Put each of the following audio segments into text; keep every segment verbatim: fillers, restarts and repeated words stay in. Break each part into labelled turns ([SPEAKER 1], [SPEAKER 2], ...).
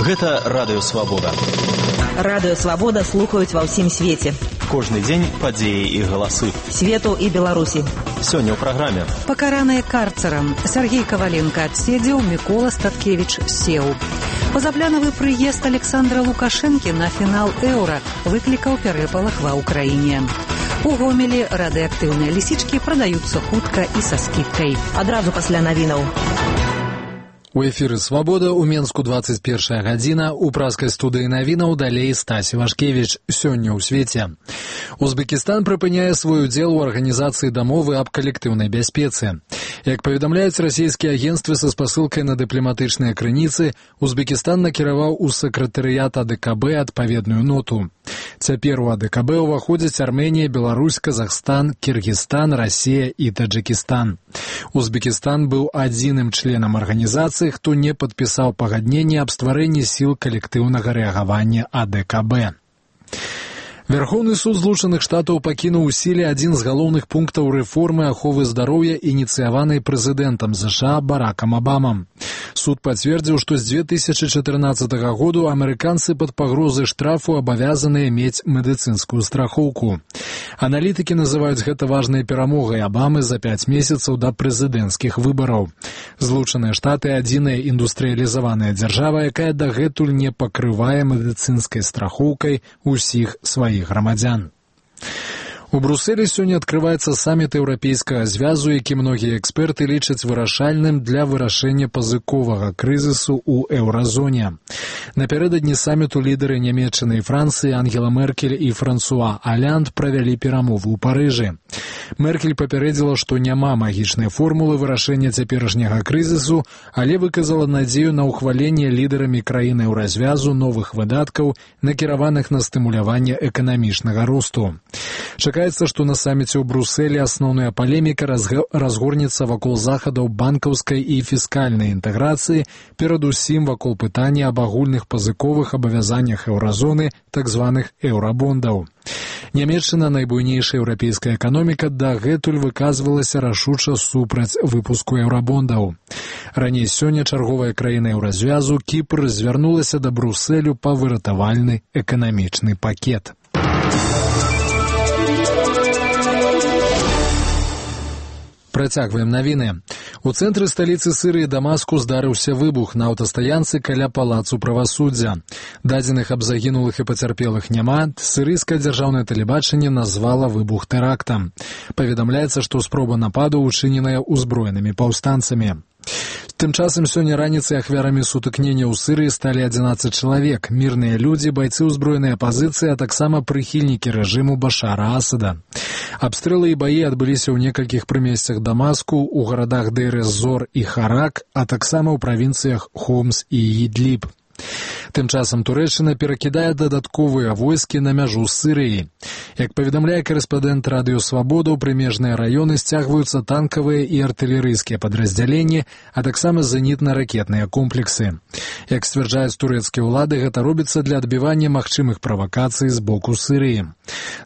[SPEAKER 1] Гэта Радыё Свабода.
[SPEAKER 2] Радыё Свабода слухаюць ва ўсім свеце.
[SPEAKER 1] Кожны дзень падзеі і галасы.
[SPEAKER 2] Свету і Беларусі.
[SPEAKER 1] Сёння ў праграме.
[SPEAKER 3] Пакараныя карцарам. Сергей Коваленко адседзеў, Мікола Статкевіч сеў. Пазапланавы прыезд Александра Лукашэнкі на фінал Еўра выклікаў перапалах ва ўкраіне. У Гомелі радыеактыўныя лісічкі прадаюцца хутка і са скідкай.
[SPEAKER 2] Адразу пасля навінаў.
[SPEAKER 4] У эфіры «Свабода» у Менску двадцать первая гадзіна. У праскай студыі навінаў далей Стась Івашкевіч. Сёння ў свеце. Узбекістан прыпыняе свой удзел у арганізацыі дамовы аб калектыўнай бяспецы. Як паведамляюць расійскія агенцтвы са спасылкай на дыпламатычныя крыніцы, Узбекістан накіраваў у сакратарыят А Д К Б адпаведную ноту. Цяпер у А Д К Б ўваходзяць Арменія, Беларусь, Казахстан, Кіргізстан, Расія і Таджикістан. Узбекістан быў адзіным членам арганізацыі, хто не падпісаў пагадненне аб стварэнні сіл калектыўнага рэагавання А Д К Б. Верховны суд Злучаных Штатаў пакінуў у сіле адзін з галоўных пунктаў рэформы аховы здароўя, ініцыяванай прэзідэнтам США Баракам Абамам. Суд пацвердзіў, што з две тысячи чатырнаццатага году амерыканцы пад пагрозай штрафу абавязаныя мець медыцынскую страхоўку. Аналітыкі называюць гэта важнай перамогай Абамы за пяць месяцаў да прэзідэнцкіх выбараў. Злучаныя Штаты – адзіная індустрыялізаваная дзяржава, якая дагэтуль не пакрывае медыцынскай страхоўкай усіх сваіх грамадзян. У Брусэлі сёння адкрываецца саміт еўрапейскага звязу, які многія эксперты лічаць вырашальным для вырашэння пазыковага крызісу ў еўразоне. Напярэдадні саміту лідары Нямецчыны і Францыі Ангела Меркель і Франсуа Олянд правялі перамовы ў Парыжы. Меркель папярэдзіла, што няма магічнай формулы вырашэння цяперашняга крызісу, але выказала надзею на ўхваленне лідарамі краін еўразвязу новых выдаткаў, накіраваных на стымуляванне эканамічнага росту. Чакаецца, што на саміце ў Брусэлі асноўная палеміка разгорнецца вакол захадаў банкаўскай і фіскальнай інтэграцыі, перадусім вакол пытання аб агульных пазыковых абавязаннях еўразоны, так званых еўрабондаў. Нямецчына, найбуйнейшая еўрапейская эканоміка, дагэтуль выказвалася рашуча супраць выпуску еўрабондаў. Раней сёння чарговая краіна еўразвязу, Кіпр, звярнулася да Брусэлю па выратавальны эканамічны пакет. Працягваем навіны. У цэнтры сталіцы Сірыі Дамаску здарыўся выбух на аўтастаянцы каля палацу правасуддзя. Дадзеных аб загінулых і пацярпелых няма. Сірыйскае дзяржаўнае тэлебачанне назвала выбух тэрактам. Паведамляецца, што спроба нападу учыненая ўзброенымі паўстанцамі. Тым часам сёння раніцай ахвярамі сутыкнення ў Сірыі сталі адзінаццаць чалавек, мірныя людзі, байцы ўзброенай апазіцыі, а таксама прыхільнікі рэжыму Башара Асада. Абстрэлы і баі адбыліся ў некалькіх прымесцях Дамаску, у гарадах Дейр-эз-Зор і Харак, а таксама ў правінцыях Хомс і Ідліб. Тым часам Турэччына перакідае дадатковыя войскі на мяжу з Сірыяй. Як паведамляе корэспандэнт Радыё Свабода, у прымежныя раёны сцягваюцца танкавыя і артылерыйскія падраздзяленні, а таксама зенітна-ракетныя комплексы. Як сцвярджаюць турэцкія ўлады, гэта робіцца для адбівання магчымых правакацый з боку Сірыі.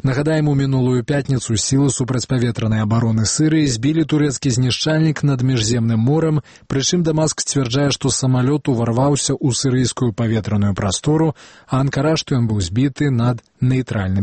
[SPEAKER 4] Нагадаем, у мінулую пятніцу сілы супрацьпаветранай абароны Сірыі збілі турэцкі знішчальнік над Міжземным морам, прычым Дамаск сцвярджае, што самалёт уварваўся ў сірыйскую паветраную прастору, а Анкара, што ён быў збіты над нейтральным